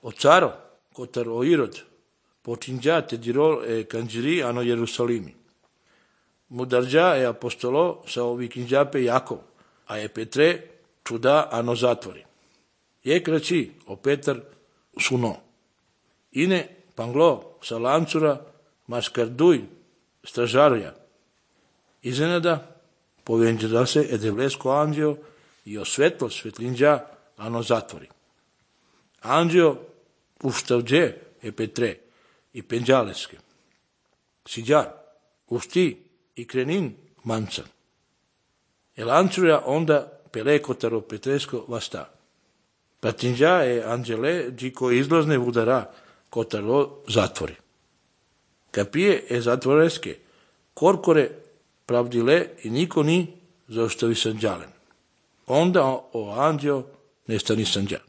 O caro, cotar o Irod, potingia te dirò e cangieri ano Gerusalimi. Mudarđa e apostolo sa ovikinđa pe Jakov, a je Petre čuda ano zatvori. Je kraći o Petar suno. Ine panglo sa lancura maskarduj stražaruja. Iznenada povenđa se edevlesko anđeo i o svetlo svetlinđa ano zatvori. Anđeo uštavđe e Petre i penđaleske. Siđar, ušti i krenin mancan. Lancura onda pelekotaro Petresko vasta. Patinđa e anđele džiko izlazne udara kotaro zatvori. Kapije e zatvoreske, korkore pravdile i niko ni zaostavi sanđalen. Onda o anđeo nestani sanđa.